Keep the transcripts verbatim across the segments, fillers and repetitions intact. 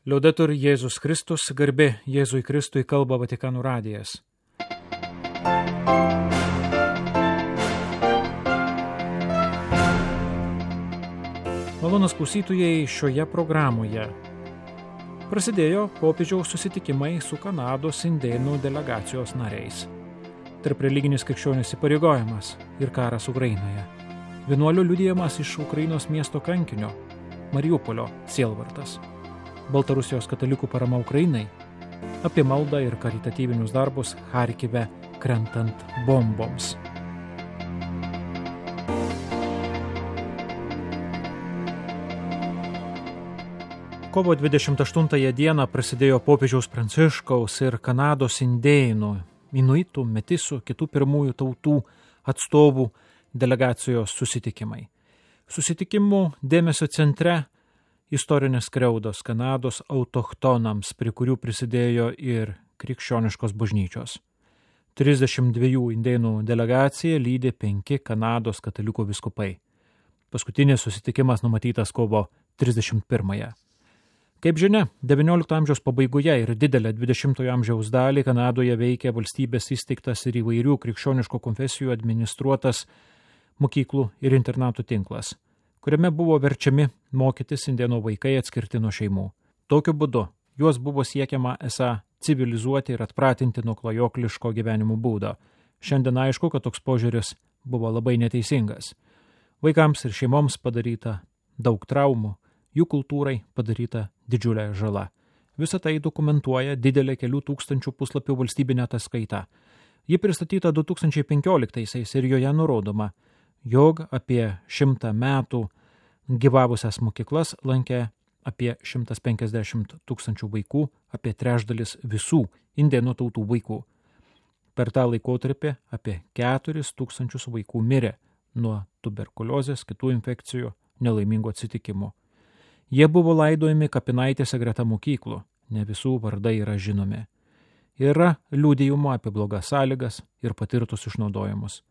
Liaudetur Jėzus Kristus, garbė Jėzui Kristui, kalba Vatikano radijas. Malonūs klausytojai, šioje programoje prasidėjo popiežiaus susitikimai su Kanados indėnų delegacijos nariais. Tarp religinis krikščionis įpareigojimas ir karas Ukrainoje. Vienuolių liudijimas iš Ukrainos miesto kankinio Mariupolio sielvartas. Baltarusijos katalikų parama Ukrainai, apie maldą ir karitatyvinius darbus Charkive krentant bomboms. Kovo dvidešimt aštuntąją dieną prasidėjo popiežiaus Pranciškaus ir Kanados indėnų, inuitų, metisų, kitų pirmųjų tautų atstovų delegacijos susitikimai. Susitikimų dėmesio centre istorinės skriaudos Kanados autochtonams, prie kurių prisidėjo ir krikščioniškos bažnyčios. trisdešimt dviejų indėnų delegaciją lydi penki Kanados katalikų vyskupai. Paskutinis susitikimas numatytas kovo trisdešimt pirmąją. Kaip žinia, devyniolikto amžiaus pabaigoje ir didelę dvidešimtojo amžiaus dalį Kanadoje veikia valstybės įsteigtas ir įvairių krikščioniškų konfesijų administruotas mokyklų ir internatų tinklas, kuriame buvo verčiami mokytis indėnų vaikai atskirti nuo šeimų. Tokiu būdu juos buvo siekiama esą civilizuoti ir atpratinti nuo klajokliško gyvenimo būdo. Šiandien aišku, kad toks požiūris buvo labai neteisingas. Vaikams ir šeimoms padaryta daug traumų, jų kultūrai padaryta didžiulė žala. Visą tai dokumentuoja didelė kelių tūkstančių puslapių valstybinė ataskaita. Ji pristatyta du tūkstančiai penkioliktaisiais ir joje nurodoma, jog apie šimtą metų gyvavusias mokyklas lankė apie šimtas penkiasdešimt tūkstančių vaikų, apie trečdalis visų indėnų tautų vaikų. Per tą laikotarpį apie keturis tūkstančius vaikų mirė nuo tuberkuliozės, kitų infekcijų, nelaimingų atsitikimų. Jie buvo laidojami kapinaitėse greta mokyklų, ne visų vardai yra žinomi. Yra liudijimų apie blogas sąlygas ir patirtus išnaudojimus.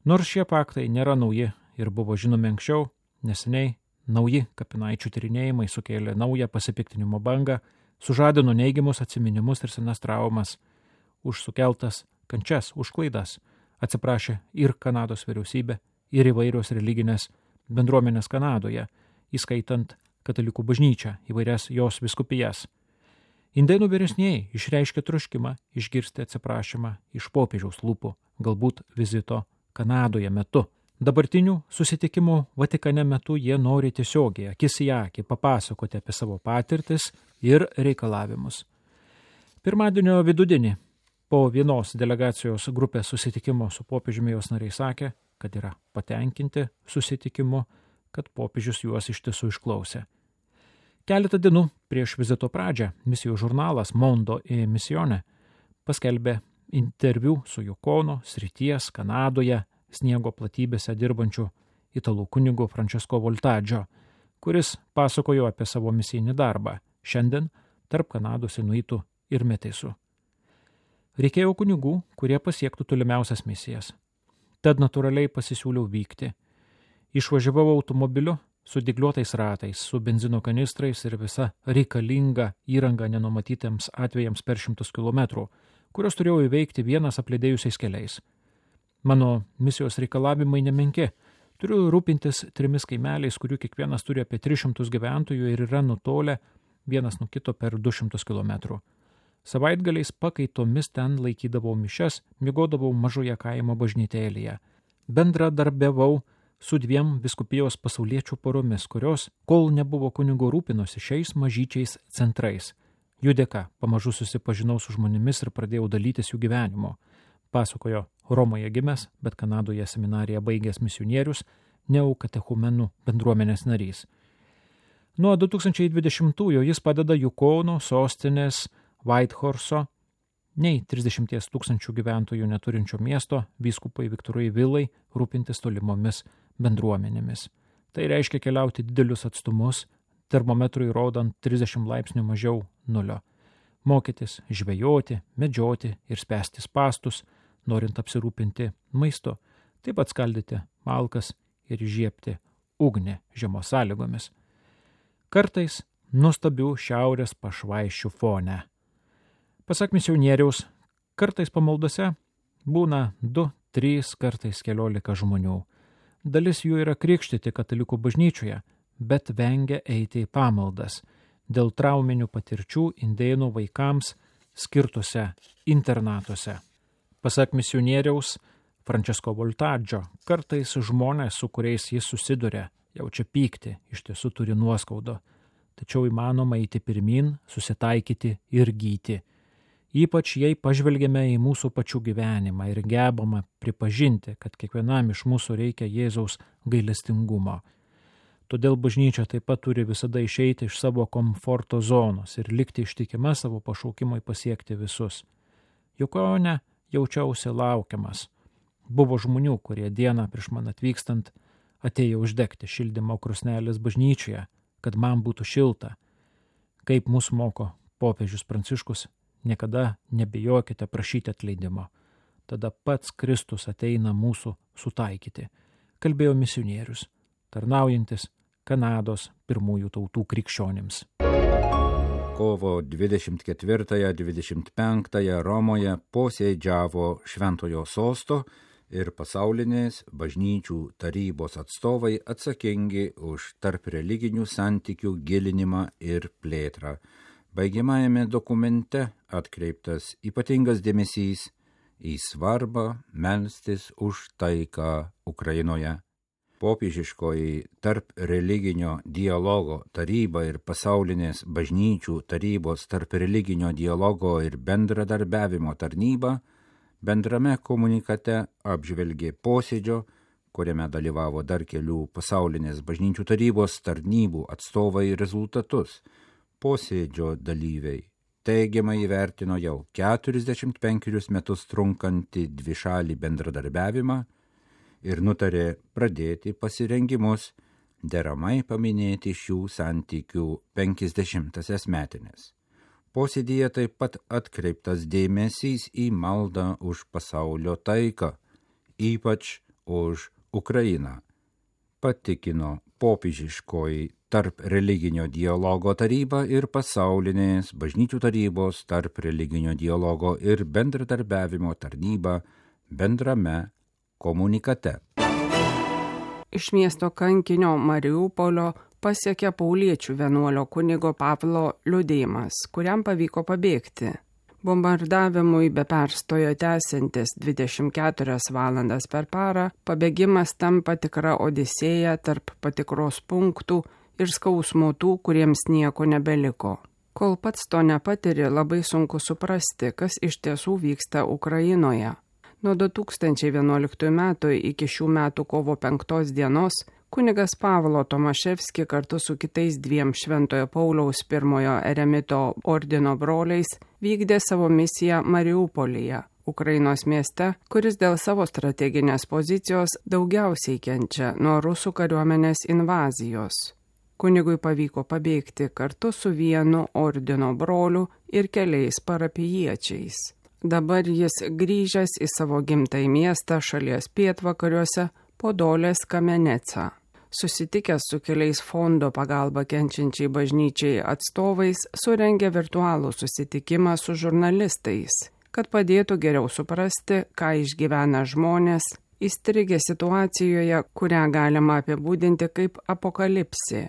Nors šie faktai nėra nauji ir buvo žinomi anksčiau, neseniai nauji kapinaičių tyrinėjimai sukėlė naują pasipiktinimo bangą, sužadino neigiamus atsiminimus ir senas traumas. Už sukeltas kančias, už klaidas atsiprašė ir Kanados vyriausybė, ir įvairios religinės bendruomenės Kanadoje, įskaitant katalikų bažnyčią, įvairias jos vyskupijas. Indėnų vyresnieji išreiškė troškimą išgirsti atsiprašymą iš popiežiaus lūpų, galbūt vizito Kanadoje metu. Dabartinių susitikimų Vatikane metu jie nori tiesiogiai, akis į akį, papasakoti apie savo patirtis ir reikalavimus. Pirmadienio vidudienį po vienos delegacijos grupės susitikimo su popiežiumi jos nariai sakė, kad yra patenkinti susitikimu, kad popiežius juos iš tiesų išklausė. Keletą dienų prieš vizito pradžią misijų žurnalas Mondo e Misione paskelbė interviu su Jukono srities Kanadoje sniego platybėse dirbančiu italų kunigu Francesco Voltaggio, kuris pasakojo apie savo misijinį darbą šiandien tarp Kanados inuitų ir metisų. Reikėjo kunigų, kurie pasiektų tolimiausias misijas. Tad natūraliai pasisiūliau vykti. Išvažiavau automobiliu su dygliuotais ratais, su benzino kanistrais ir visa reikalinga įranga nenumatytiems atvejams per šimtus kilometrų, kurios turėjau įveikti vienas apledėjusiais keliais. Mano misijos reikalavimai nemenki. Turiu rūpintis trimis kaimeliais, kurių kiekvienas turi apie tris šimtus gyventojų ir yra nutolę vienas nuo kito per du šimtus kilometrų. Savaitgaliais pakaitomis ten laikydavau mišias, miegodavau mažoje kaimo bažnytėlėje. Bendradarbiavau su dviem vyskupijos pasauliečių poromis, kurios, kol nebuvo kunigo, rūpinosi šiais mažyčiais centrais. Jų dėka pamažu susipažinau su žmonėmis ir pradėjau dalytis jų gyvenimo, pasakojo Romoje gimęs, bet Kanadoje seminariją baigęs misionierius, neokatechumenų bendruomenės narys. Nuo du tūkstančiai dvidešimtųjų jis padeda Jukono sostinės Whitehorso, nei trisdešimties tūkstančių gyventojų neturinčio miesto vyskupai Viktorui Vilai rūpintis tolimomis bendruomenėmis. Tai reiškia keliauti didelius atstumus, termometrui rodant trisdešimt laipsnių mažiau nulio. Mokytis, žvejoti, medžioti ir spęsti spąstus, norint apsirūpinti maistu, taip pat skaldyti malkas ir įžiebti ugnį žiemos sąlygomis. Kartais nuostabių šiaurės pašvaiščių fone. Pasak misionieriaus, kartais pamaldose būna du, trys, kartais keliolika žmonių. Dalis jų yra krikštyti katalikų bažnyčioje, bet vengia eiti į pamaldas dėl trauminių patirčių indėnų vaikams skirtuose internatuose. Pasak misionieriaus Francesco Voltaggio, kartais žmonės, su kuriais jis susiduria, jaučia pyktį, iš tiesų turi nuoskaudo, tačiau įmanoma eiti pirmin, susitaikyti ir gyti. Ypač jei pažvelgiame į mūsų pačių gyvenimą ir gebame pripažinti, kad kiekvienam iš mūsų reikia Jėzaus gailestingumo. Todėl bažnyčia taip pat turi visada išeiti iš savo komforto zonos ir likti ištikima savo pašaukimui pasiekti visus. Jukone jaučiausi laukiamas. Buvo žmonių, kurie dieną prieš man atvykstant atėjo uždegti šildymo krosnelės bažnyčioje, kad man būtų šilta. Kaip mus moko popiežius Pranciškus, niekada nebijokite prašyti atleidimo. Tada pats Kristus ateina mūsų sutaikyti, kalbėjo misionierius, tarnaujantis Kanados pirmųjų tautų krikščionims. Kovo dvidešimt ketvirtąją dvidešimt penktąją Romoje posėdžiavo Šventojo sosto ir pasaulinės bažnyčių tarybos atstovai atsakingi už tarp religinių santykių gilinimą ir plėtrą. Baigiamajame dokumente atkreiptas ypatingas dėmesys į svarbą melstis už taiką Ukrainoje. Popiežiškoji tarp religinio dialogo taryba ir pasaulinės bažnyčių tarybos tarp religinio dialogo ir bendradarbiavimo tarnyba bendrame komunikate apžvelgė posėdžio, kuriame dalyvavo dar kelių pasaulinės bažnyčių tarybos tarnybų atstovai rezultatus. Posėdžio dalyviai teigiamai įvertino jau keturiasdešimt penkerius metus trunkantį dvišalį bendradarbiavimą ir nutarė pradėti pasirengimus deramai paminėti šių santykių penkiasdešimtąsias metines. Posėdyje taip pat atkreiptas dėmesys į maldą už pasaulio taiką, ypač už Ukrainą, patikino popiežiškoji tarp religinio dialogo taryba ir pasaulinės bažnyčių tarybos tarp religinio dialogo ir bendradarbiavimo tarnyba bendrame komunikate. Iš miesto kankinio Mariupolio pasiekė pauliečių vienuolio kunigo Pavlo liudijimas, kuriam pavyko pabėgti. Bombardavimui be perstojo tęsiantis dvidešimt keturias valandas per parą, pabėgimas tampa tikra odisėja tarp patikros punktų ir skausmų tų, kuriems nieko nebeliko. Kol pats to nepatiri, labai sunku suprasti, kas iš tiesų vyksta Ukrainoje. Nuo du tūkstančiai vienuoliktųjų metų iki šių metų kovo penktos dienos kunigas Pavlo Tomaševski kartu su kitais dviem Šventojo Pauliaus pirmojo eremito ordino broliais vykdė savo misiją Mariupolyje, Ukrainos mieste, kuris dėl savo strateginės pozicijos daugiausiai kenčia nuo rusų kariuomenės invazijos. Kunigui pavyko pabėgti kartu su vienu ordino broliu ir keliais parapijiečiais. Dabar jis grįžęs į savo gimtąjį miestą šalies pietvakariuose Podolės Kameneca. Susitikęs su keliais fondo pagalba kenčiančiai bažnyčiai atstovais, surengė virtualų susitikimą su žurnalistais, kad padėtų geriau suprasti, ką išgyvena žmonės, įstrigę situacijoje, kurią galima apibūdinti kaip apokalipsė.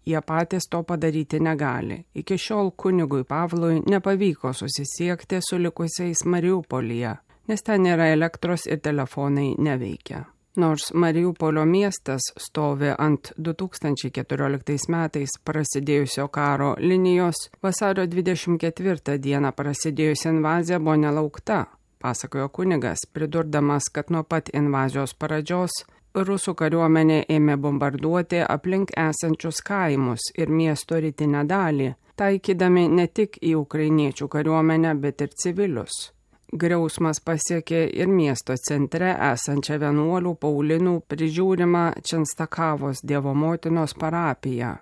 Jie patys to padaryti negali. Iki šiol kunigui Pavlui nepavyko susisiekti su likusiais Mariupolyje, nes ten nėra elektros ir telefonai neveikia. Nors Mariupolio miestas stovi ant du tūkstančiai keturioliktais metais prasidėjusio karo linijos, vasario dvidešimt ketvirtą dieną prasidėjusi invazija buvo nelaukta, pasakojo kunigas, pridurdamas, kad nuo pat invazijos pradžios rusų kariuomenė ėmė bombarduoti aplink esančius kaimus ir miesto rytinę dalį, taikydami ne tik į ukrainiečių kariuomenę, bet ir civilius. Griausmas pasiekė ir miesto centre esančią vienuolių Paulinų prižiūrimą Čenstakavos Dievo motinos parapiją.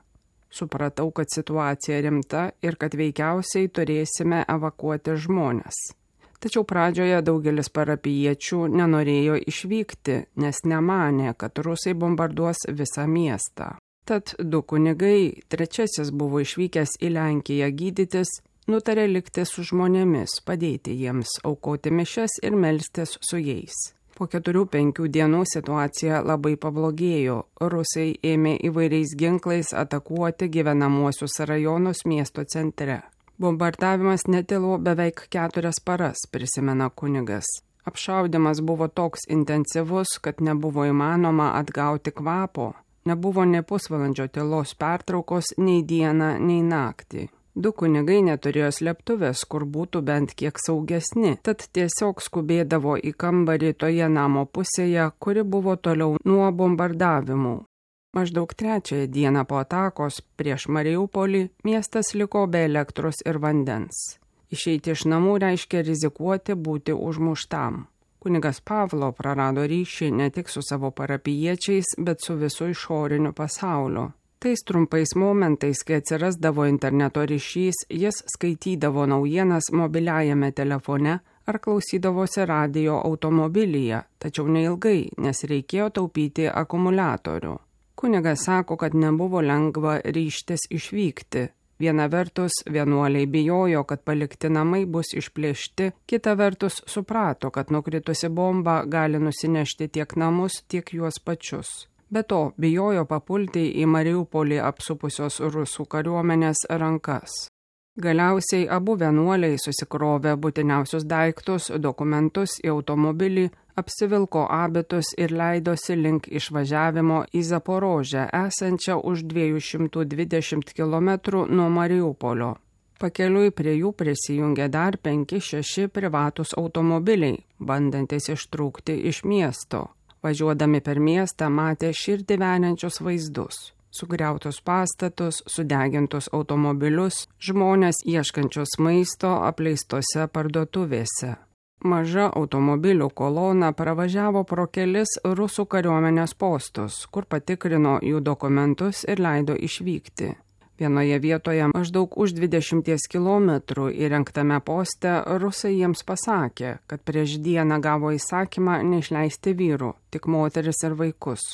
Supratau, kad situacija rimta ir kad veikiausiai turėsime evakuoti žmones. Tačiau pradžioje daugelis parapijiečių nenorėjo išvykti, nes nemanė, kad rusai bombarduos visą miestą. Tad du kunigai, trečiasis buvo išvykęs į Lenkiją gydytis, nutarė likti su žmonėmis, padėti jiems, aukoti mišias ir melstis su jais. Po keturių penkių dienų situacija labai pablogėjo. Rusai ėmė įvairiais ginklais atakuoti gyvenamuosius rajonus miesto centre. Bombardavimas netilo beveik keturias paras, prisimena kunigas. Apšaudymas buvo toks intensyvus, kad nebuvo įmanoma atgauti kvapo. Nebuvo ne pusvalandžio tylos pertraukos nei dieną, nei naktį. Du kunigai neturėjo slėptuvės, kur būtų bent kiek saugesni, tad tiesiog skubėdavo į kambarį toje namo pusėje, kuri buvo toliau nuo bombardavimų. Maždaug trečiąją dieną po atakos prieš Mariupolį miestas liko be elektros ir vandens. Išeiti iš namų reiškia rizikuoti būti užmuštam. Kunigas Pavlo prarado ryšį ne tik su savo parapijiečiais, bet su visu išoriniu pasauliu. Tais trumpais momentais, kai atsirasdavo interneto ryšys, jis skaitydavo naujienas mobiliajame telefone ar klausydavosi radijo automobilyje, tačiau neilgai, nes reikėjo taupyti akumuliatorių. Kunigas sako, kad nebuvo lengva ryžtis išvykti. Viena vertus, vienuoliai bijojo, kad palikti namai bus išplėšti, kita vertus suprato, kad nukritusi bomba gali nusinešti tiek namus, tiek juos pačius. Be to, bijojo papulti į Mariupolį apsupusios rusų kariuomenės rankas. Galiausiai abu vienuoliai susikrovė būtiniausius daiktus, dokumentus į automobilį, apsivilko abitus ir leidosi link išvažiavimo į Zaporožę, esančią už dviejų šimtų dvidešimt kilometrų nuo Mariupolio. Pakeliui prie jų prisijungė dar penki šeši privatus automobiliai, bandantis ištrūkti iš miesto. Važiuodami per miestą matė širdį veniančius vaizdus. Sugriautus pastatus, sudegintus automobilius, žmonės ieškančius maisto apleistose parduotuvėse. Maža automobilių kolona pravažiavo pro kelis rusų kariuomenės postus, kur patikrino jų dokumentus ir leido išvykti. Vienoje vietoje maždaug už dvidešimties kilometrų įrengtame poste rusai jiems pasakė, kad prieš dieną gavo įsakymą neišleisti vyrų, tik moteris ir vaikus.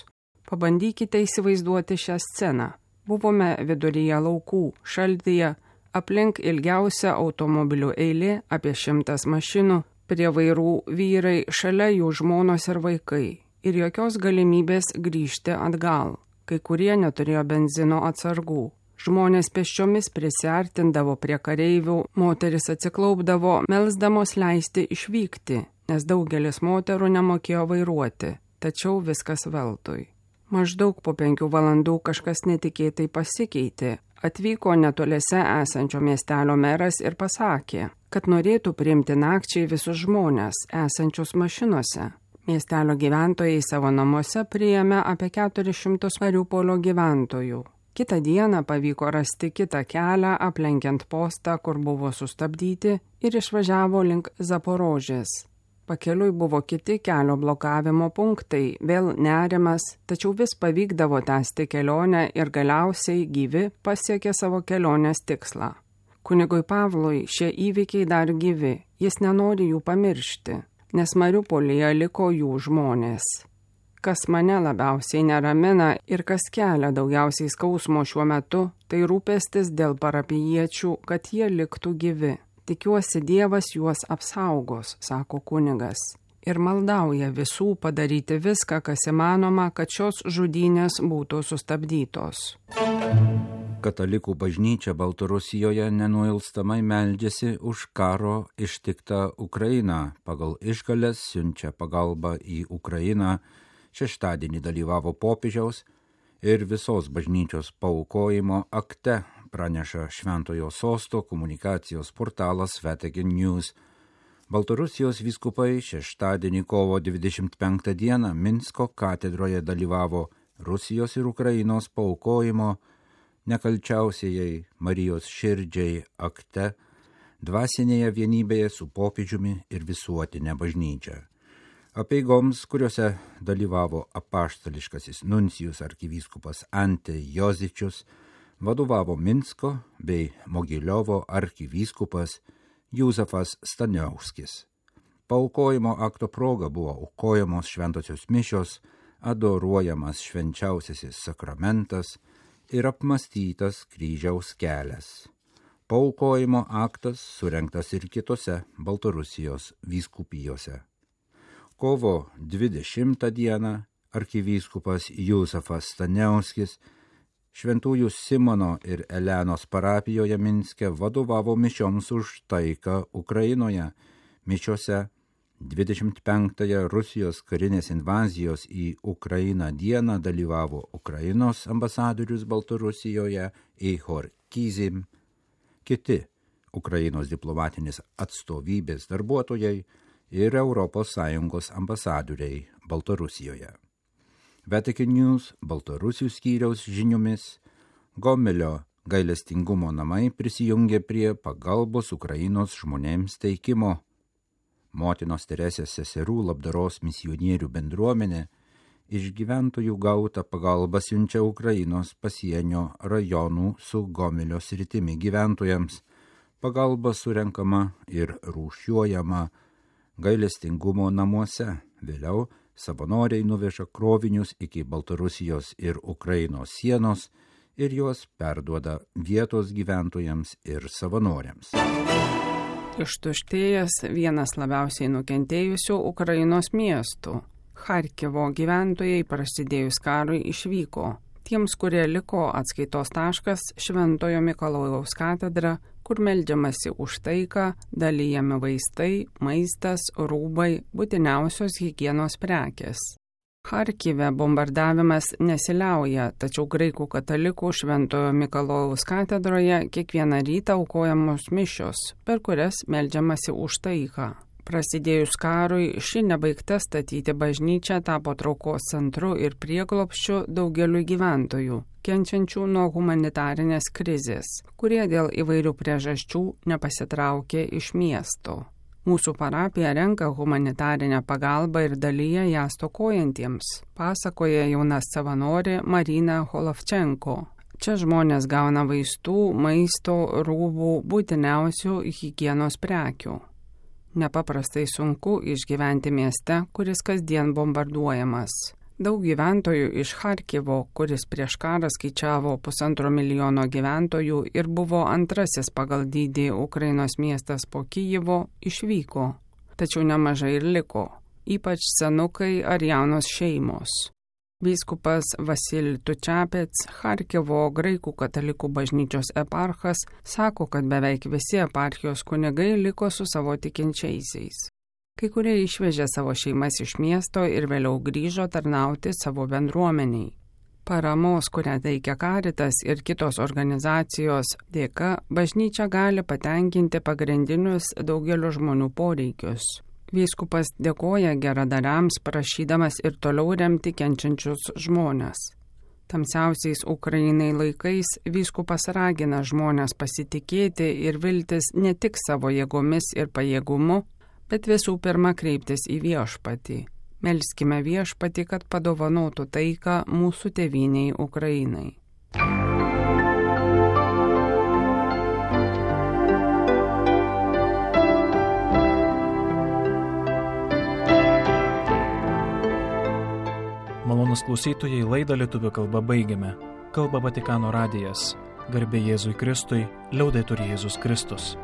Pabandykite įsivaizduoti šią sceną. Buvome viduryje laukų, šaltyje, aplink ilgiausia automobilių eilė, apie šimtas mašinų, prie vairų vyrai, šalia jų žmonos ir vaikai. Ir jokios galimybės grįžti atgal. Kai kurie neturėjo benzino atsargų. Žmonės pėsčiomis prisiartindavo prie kareivių, moteris atsiklaupdavo, melsdamos leisti išvykti, nes daugelis moterų nemokėjo vairuoti, tačiau viskas veltui. Maždaug po penkių valandų kažkas netikėtai pasikeitė. Atvyko netoliese esančio miestelio meras ir pasakė, kad norėtų priimti nakčiai visus žmonės esančius mašinose. Miestelio gyventojai savo namuose priėmė apie keturis šimtus Mariupolio gyventojų. Kitą dieną pavyko rasti kitą kelią, aplenkiant postą, kur buvo sustabdyti, ir išvažiavo link Zaporožės. Pakeliui buvo kiti kelio blokavimo punktai, vėl nerimas, tačiau vis pavykdavo tęsti kelionę ir galiausiai gyvi pasiekė savo kelionės tikslą. Kunigui Pavlui šie įvykiai dar gyvi, jis nenori jų pamiršti, nes Mariupolyje liko jų žmonės. Kas mane labiausiai neramina ir kas kelia daugiausiai skausmo šiuo metu, tai rūpestis dėl parapijiečių, kad jie liktų gyvi. Tikiuosi Dievas juos apsaugos, sako kunigas, ir maldauja visų padaryti viską, kas įmanoma, kad šios žudynės būtų sustabdytos. Katalikų bažnyčia Baltarusijoje nenuilstamai meldžiasi už karo ištiktą Ukrainą. Pagal išgales siunčia pagalbą į Ukrainą. Šeštadienį dalyvavo popiežiaus ir visos bažnyčios paaukojimo akte, praneša Šventojo Sosto komunikacijos portalas Vatican News. Baltarusijos vyskupai šeštadienį kovo dvidešimt penktą dieną Minsko katedroje dalyvavo Rusijos ir Ukrainos paaukojimo nekalčiausiai Marijos širdžiai akte, dvasinėje vienybėje su popiežiumi ir visuotinė bažnyčia. Apeigoms, kuriuose dalyvavo apaštališkasis nuncijus arkivyskupas Ante Jozičius, vadovavo Minsko bei Mogiliovo arkivyskupas Juzefas Staniauskis. Paaukojimo akto proga buvo aukojamos šventosios mišios, adoruojamas švenčiausiasis sakramentas, ir apmastytas kryžiaus kelias. Paaukojimo aktas surengtas ir kitose Baltarusijos vyskupijose. Kovo dvidešimtą dieną arkivyskupas Jusefas Staniauskis Šventųjų Simono ir Elenos parapijoje Minske vadovavo mišioms už taiką Ukrainoje. Mišiose dvidešimt penktąją Rusijos karinės invazijos į Ukrainą dieną dalyvavo Ukrainos ambasadorius Baltarusijoje Ihor Kyzim, kiti Ukrainos diplomatinės atstovybės darbuotojai ir Europos Sąjungos ambasadoriai Baltarusijoje. Vatican News Baltarusių skyriaus žiniomis Gomelio gailestingumo namai prisijungė prie pagalbos Ukrainos žmonėms teikimo. Motinos Teresės seserų labdaros misionierių bendruomenė iš gyventojų gautą pagalbą siunčia Ukrainos pasienio rajonų su Gomelio sritimi gyventojams. Pagalba surenkama ir rūšiuojama gailestingumo namuose. Vėliau savanoriai nuveža krovinius iki Baltarusijos ir Ukrainos sienos ir juos perduoda vietos gyventojams ir savanoriams. Ištuštėjęs vienas labiausiai nukentėjusių Ukrainos miestų. Charkivo gyventojai prasidėjus karui išvyko. Tiems, kurie liko, atskaitos taškas Šventojo Mikalojaus katedra, kur meldžiamasi už taiką, dalyjami vaistai, maistas, rūbai, būtiniausios higienos prekės. Charkive bombardavimas nesiliauja, tačiau graikų katalikų Šventojo Mikalojaus katedroje kiekvieną rytą aukojamos mišios, per kurias meldžiamasi už taiką. Prasidėjus karui, ši nebaigta statyti bažnyčia tapo traukos centru ir prieglobsčiu daugeliu gyventojų, kenčiančių nuo humanitarinės krizės, kurie dėl įvairių priežasčių nepasitraukė iš miesto. Mūsų parapija renka humanitarinę pagalbą ir dalyja ją stokojantiems, pasakoja jauna savanorė Marina Holovčenko. Čia žmonės gauna vaistų, maisto, rūbų, būtiniausių higienos prekių. Nepaprastai sunku išgyventi mieste, kuris kasdien bombarduojamas. Daug gyventojų iš Charkivo, kuris prieš karą skaičiavo pusantro milijono gyventojų ir buvo antrasis pagal dydį Ukrainos miestas po Kijivo, išvyko. Tačiau nemažai ir liko, ypač senukai ar jaunos šeimos. Vyskupas Vasil Tučapets, Charkivo graikų katalikų bažnyčios eparchas, sako, kad beveik visi eparchijos kunigai liko su savo tikinčiaisiais. Kai kurie išvežė savo šeimas iš miesto ir vėliau grįžo tarnauti savo bendruomeniai. Paramos, kurią teikia Caritas ir kitos organizacijos dėka, bažnyčia gali patenkinti pagrindinius daugelio žmonių poreikius. Vyskupas dėkoja geradariams, prašydamas ir toliau remti kenčiančius žmones. Tamsiausiais Ukrainai laikais vyskupas ragina žmonės pasitikėti ir viltis ne tik savo jėgomis ir pajėgumu, bet visų pirma kreiptis į viešpatį. Melskime viešpatį, kad padovanotų taiką mūsų tėvynei Ukrainai. Malonus klausytojai, laidą lietuvių kalba baigiame. Kalba Vatikano radijas. Garbė Jėzui Kristui, liaudetur Jėzus Kristus.